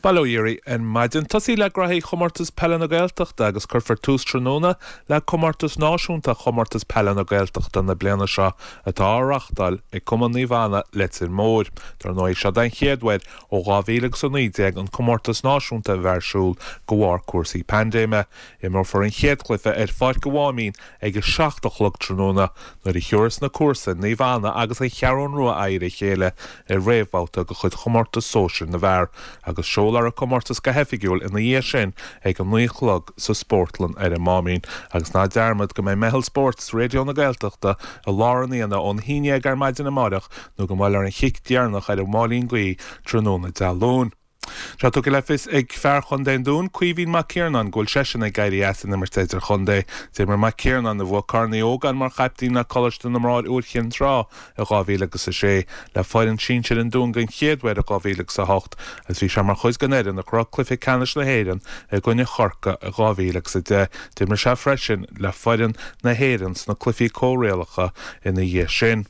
Bail ó Dhia oraibh ar maidin. Tosaí le graithí Chomórtas Peile na Gaeltachta agus cuirfear tús tráthnóna le Comórtas Náisiúnta Chomórtas Peile na Gaeltachta na bliana seo atá á reáchtáil ag Cumann Naomh Anna, Leitir Móir. Dar ndóigh, seo den chéad uair ó 2019 an Comórtas Náisiúnta a bheith ar siúl de bharr cúrsaí paindéime. Imreofar an chéad chluiche ar Pháirc an Mháimín ag a 7 a chlog tráthnóna nuair a thiúrfas na comharsain, Naomh Anna agus An Cheathrún Rua aghaidh ar a chéile i réamhbhabhta de chuid Chomórtas Sóisir na bhFear agus seolfar an comórtas go hoifigiúil ina dhiaidh sin ag a 9 a chlog sa Spórtlann ar an Máimín. Agus ná dearmad go mbeidh Meitheal Spóirt Raidió na Gaeltachta i lár an aonaigh ón haon dhéag ar maidin amáireach nó go mall ar an chic deireanach ar an máilín guí tráthnóna Dé Luain. Tá tugtha le fios ag fear chontae an Dúin, Caoimhín Mac Ciarnáin, go bhfuil seisean ag éirí as an imirt idirchontae. D'imir Mac Ciarnáin, a bhuaigh Corn Uí Ógáin mar chaiptín le Coláiste na mBráthar Iúr Chinn Trá i 2006, le foireann sinsir an Dúin den chéad uair i 2008 agus bhí sé mar chuid den fhoireann a shroich cluiche ceannais na hÉireann i gcoinne Chorcaí i 2010. D'imir sé freisin le foireann na hÉireann sna cluichí comhrialacha ina dhiaidh sin.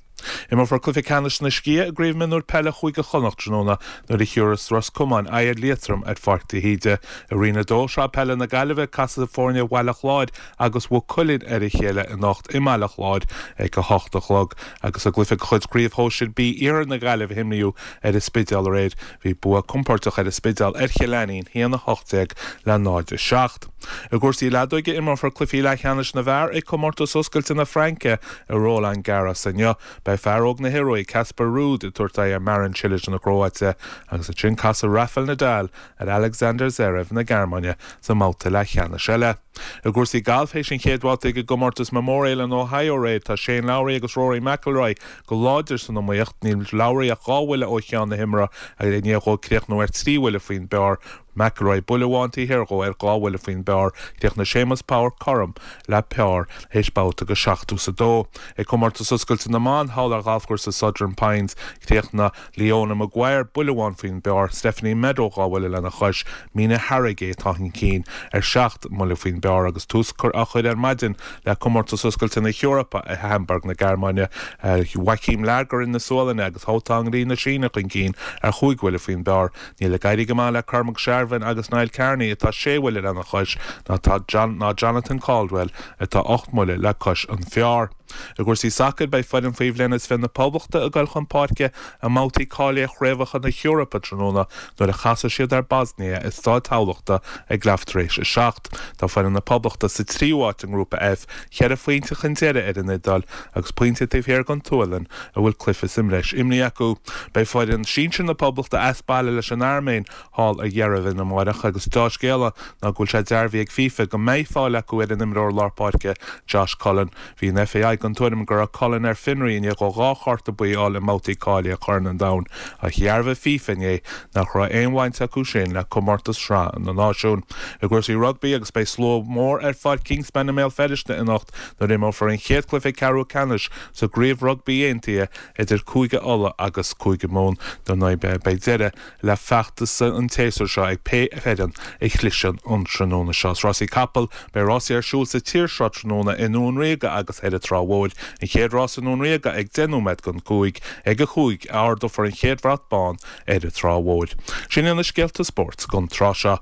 Imreofar cluiche ceannais na sciath i gCraobh Mionúir Peile Chúige Chonnacht tráthnóna nuair a thiúrfas Ros Comáin aghaidh ar Liatroim ar Pháirc de hÍde. I Roinn 2, Sraith Peile na Gaillimhe, casfaidh foirne Bhaile Chláir agus Mhaigh Cuilinn ar a chéile anocht i mBaile Chláir ag 8 a chlog agus i gcluiche de chuid Chraobh Shóisir B Iarthar na Gaillimhe a imríodh ar an Spidéal aréir, bhí bua compóirteach ar an Spidéal ar Chill Ainnín, 1-18 le 0-7. I gcúrsaí leadóige, imreofar cluichí leathcheannais na bhfear ag Comórtas Oscailte na Fraince i Roland Garros inniu. Beidh fear óg na hIoruaí, Casper Ruud, ag tabhairt aghaidh ar Marin Cilic na Cróite agus ansin casfaidh Rafael Nadal ar Alexander Zverev na Gearmáine sa mbabhta leathcheannais eile. I gcúrsaí gailf, théis an chéad bhabhta ag an gcomórtas Memorial in Ohio aréir, tá Shane Lowry agus Rory McIlroy go láidir san iomaíocht. Níl Lowry ach 2 bhuille ó cheann na himeartha i ndiaidh dhó críochnú ar 3 bhuille faoin bpar. McIlroy buille amháin taobh thiar dhó ar 2 bhuille faoin bpar. Chríochnaigh Séamus Power cothrom le pár théis babhta go 72. Ag Comórtas Oscailte na mBan thall ar ghalfchúrsa Southern Pines, chríochnaigh Leona Maguire buille amháin faoin bpar, Stephanie Meadow 2 bhuille lena chois, Mina Harigae atá chun cinn ar 7 mbuille faoin bpar agus tús á chur ar maidin le Comórtas Oscailte na hEorpa i Hamburg na Gearmáine. Joakim Lagergren na Sualainne agus Haotong Li na Síne chun cinn ar chúig bhuille faoin bpar. Níl ag éirí go maith le Cormac Sharvin agus Niall Kearney atá sé bhuille lena chois ná ná Jonathan Caldwell atá 8 mbuille le cois an phár. I gcúrsaí sacair, beidh foireann faoi bhliain is 20 na Poblachta ag dul chun páirce i mbabhtaí cáilithe Chraobhacha na hEorpa tráthnóna nuair a chasfaidh siad ar Bosnia i Staid Thamhlachta ag leath tar éis a 7. Tá foireann na Poblachta sa tríú háit i nGrúpa F, cheithre phointe chun deiridh ar an Iodáil agus pointe taobh thiar den tSualainn a bhfuil cluiche sa mbreis imrithe acu. Beidh foireann sinsir na Poblachta as baile leis an Airméin thall i Yerevan amáireach agus deá-scéala ná go bhfuil sé dearbhaithe ag FIFA go mbeidh fáil acu ar an imreoir lár páirce Josh Cullen. Bhí an FAI den tuairim go raibh Cullen ar fionraí i ndiaidh dó 2 chárta buí a fháil i mbabhtaí cáilithe Chorn an Domhain ach dhearbhaigh FIFA inné nach raibh aon bhaint acu sin le comórtas Shraith na Náisiún. I gcúrsaí rugbaí agus beidh slua mór ar Pháirc Kingspan i mBéal Feirste anocht nuair a imreofar an chéad chluiche ceathrú ceannais sa gCraobh Rugbaí Aontaithe idir Cúige Uladh agus Cúige Mumhan. Dar ndóigh beidh deireadh le feachtas an tséasúir seo ag pé foireann a chliseann an tráthnóna seo. Is rásaí capall, beidh rásaí ar siúl sa tír seo tráthnóna i nDún Ríoga agus ar an Trá Mhóir. An chéad rás i nDún Ríoga ag 10 nóiméad don 5, ag a 5 a ardófar an chéad bhrat bán ar an Trá Mhóir. Sin iad na scéalta spóirt don tráth seo.